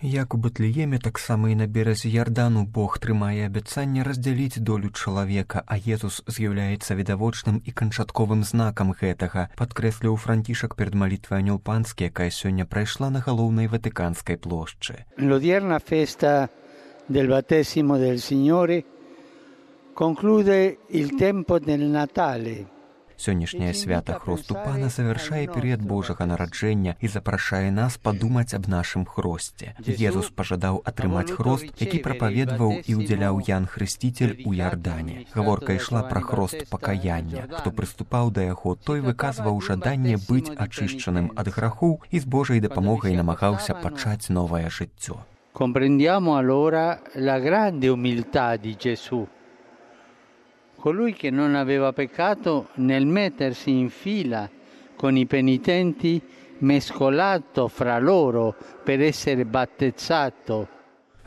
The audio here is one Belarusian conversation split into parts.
Як у Бэтлееме, таксама і на беразе Ярдану Бог трымае абяцанне раздзяліць долю чалавека, а Езус з'яўляецца відавочным і канчатковым знакам гэтага, падкрэсліў Францішак перад малітвай Анёл Панскі, якая сёння прайшла на галоўнай Ватыканскай плошчы. L'odierna festa del battesimo del Signore conclude il tempo del Natale. Сённяшняе свята Хросту Пана завяршае перыяд Божага нараджэння і запрашае нас падумаць аб нашым хросце. Езус пажадаў атрымаць хрост, які прапаведваў і ўдзяляў Ян Хрысціцель у Ярдане. Гаворка ішла пра хрост пакаяння. Хто прыступаў да яго, той выказваў жаданне быць ачышчаным ад грахоў і з Божай дапамогай намагаўся пачаць новае жыццё. Comprendiamo allora la grande umiltà di Gesù. Colui che non aveva peccato nel mettersi in fila con i penitenti, mescolato fra loro per essere battezzato.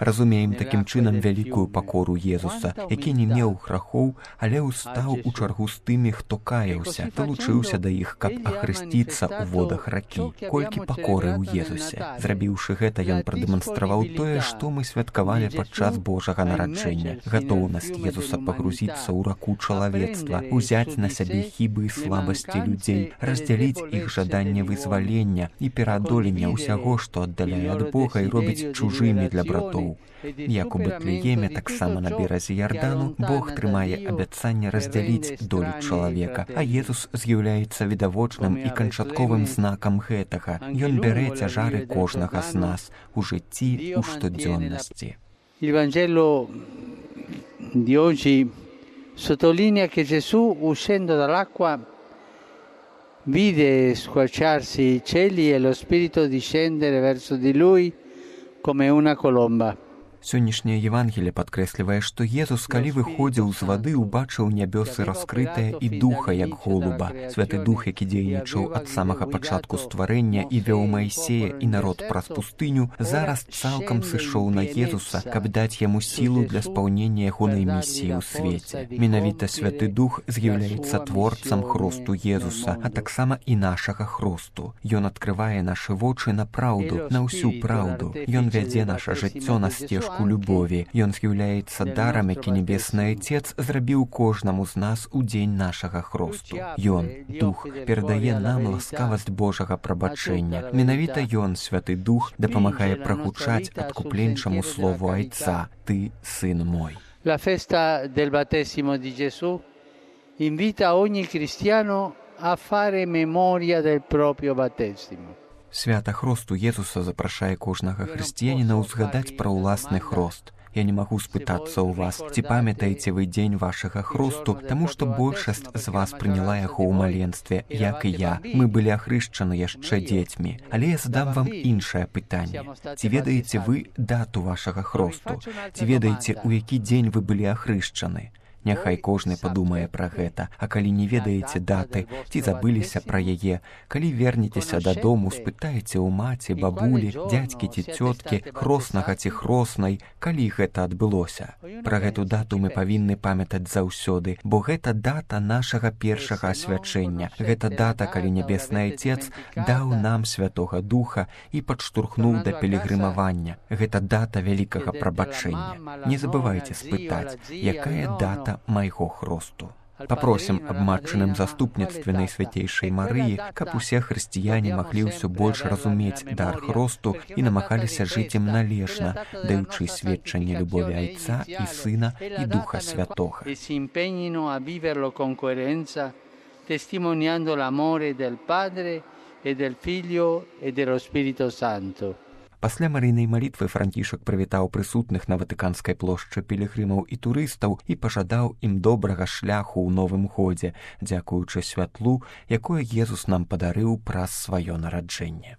Разумеем такім чынам вялікую пакору Езуса, які не меў грахоў, але ўстаў у чаргу з тымі, хто каяўся, далучыўся да іх, каб ахрысціцца ў водах ракі. Колькі пакоры ў Езусе. Зрабіўшы гэта, ён прадэманстраваў тое, што мы святкавалі падчас Божага нараджэння. Гатоўнасць Езуса пагрузіцца ў раку чалавецтва, узяць на сябе хібы і слабасці людзей, раздзяліць іх жаданне вызвалення і пераадолення ўсяго, што аддаляе ад Бога і робіць чужымі для братоў. Як у Бэтлееме, таксама на беразе Ярдану, Бог трымае абяцанне раздзяліць долю чалавека, а Езус з'яўляецца відавочным і канчатковым знакам гэтага. Ён бярэ цяжары кожнага з нас у жыцці, у штодзённасці. Il Vangelo di oggi sottolinea che Gesù, uscendo dall'acqua, vide squarciarsi i cieli e lo Spirito discendere verso di lui come una colomba. Сённяшняе Евангелие падкрэслівае, што Езус, калі выходзіў з вады, убачыў нябёсы раскрытыя і духа, як голуба. Святы Дух, які дзейнічаў ад самага пачатку стварэння і вёў Маісея і народ праз пустыню, зараз цалкам сышоў на Езуса, каб даць яму сілу для спаўнення ягонай місіі ў свеце. Менавіта Святы Дух з'яўляецца творцам хросту Езуса, а таксама і нашага хросту. Ён адкрывае нашы вочы на праўду, на ўсю праўду. Ён вядзе наша жыццё на сцежку любові. Ён з'яўляецца дарам, які Небесны Отец зрабіў кожнаму з нас у дзень нашага хросту. Ён, Дух, перадае нам ласкавасць Божага прабачэння. Менавіта Ён, Святы Дух, дапамагае прагучаць адкупленчаму слову Айца: «Ты, сын мой». La festa del battesimo di Gesù invita ogni cristiano a fare memoria del proprio battesimo. Свята хросту Езуса запрашае кожнага хрысціяніна ўзгадаць пра ўласны хрост. Я не магу спытацца ў вас, ці памятаеце вы дзень вашага хросту, таму што большасць з вас прыняла яго ў маленстве, як і я. Мы былі ахрышчаны яшчэ дзецьмі. Але я задам вам іншае пытанне. Ці ведаеце вы дату вашага хросту? Ці ведаеце, у які дзень вы былі ахрышчаны? Няхай кожны падумае пра гэта, а калі не ведаеце даты, ці забыліся пра яе, калі вернецеся дадому, спытаеце ў маці, бабулі, дзядзькі ці цёткі, хроснага ці хроснай, калі гэта адбылося. Пра гэту дату мы павінны памятаць заўсёды, бо гэта дата нашага першага асвячэння. Гэта дата, калі Небесны Отец даў нам Святога Духа і падштурхнуў да пілігрымавання. Гэта дата вялікага прабачэння. Не забывайце спытаць, якая дата майго хросту. Папросім аб матчыным заступніцтве Найсвяцейшай Марыі, каб усе хрысціяне маглі ўсё больш разумець дар хросту і намагаліся жыць ім належна, даючы сведчанне любові Айца і Сына і Духа Святога. Testimoniando l'amore del Padre e del Figlio e dello Spirito Santo. Пасля марыйнай малітвы Францішак прывітаў прысутных на Ватыканскай плошчы пілігрымаў і турыстаў і пажадаў ім добрага шляху ў новым годзе, дзякуючы святлу, якое Езус нам падарыў праз сваё нараджэнне.